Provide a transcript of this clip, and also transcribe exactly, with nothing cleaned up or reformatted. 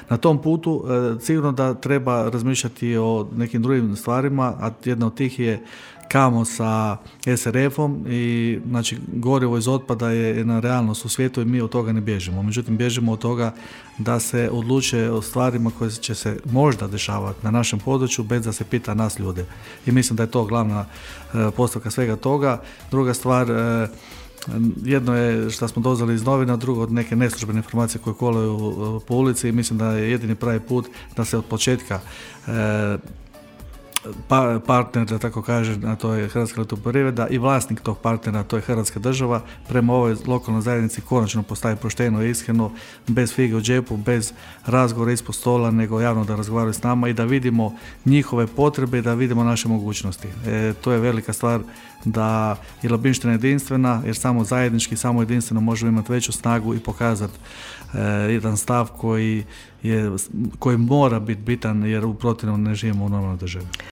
Na tom putu e, sigurno da treba razmišljati o nekim drugim stvarima, a jedna od tih je kamo sa es er efom i znači gorivo iz otpada je jedna realnost u svijetu i mi od toga ne bježimo. Međutim, bježimo od toga da se odluče o stvarima koje će se možda dešavati na našem području bez da se pita nas ljude. I mislim da je to glavna e, postavka svega toga. Druga stvar, e, jedno je što smo doznali iz novina, drugo od neke neslužbene informacije koje kolaju po ulici i mislim da je jedini pravi put da se od početka e, Pa, partner, da tako kažem, a to je Hrvatska elektroprivreda i vlasnik tog partnera, to je Hrvatska država, prema ovoj lokalnoj zajednici konačno postavi pošteno i iskreno, bez fige u džepu, bez razgovora ispod stola, nego javno da razgovaraju s nama i da vidimo njihove potrebe i da vidimo naše mogućnosti. E, to je velika stvar da je Labinština jedinstvena, jer samo zajednički, samo jedinstveno možemo imati veću snagu i pokazati e, jedan stav koji, je, koji mora biti bitan, jer u protivnom ne živimo u normalnoj državi.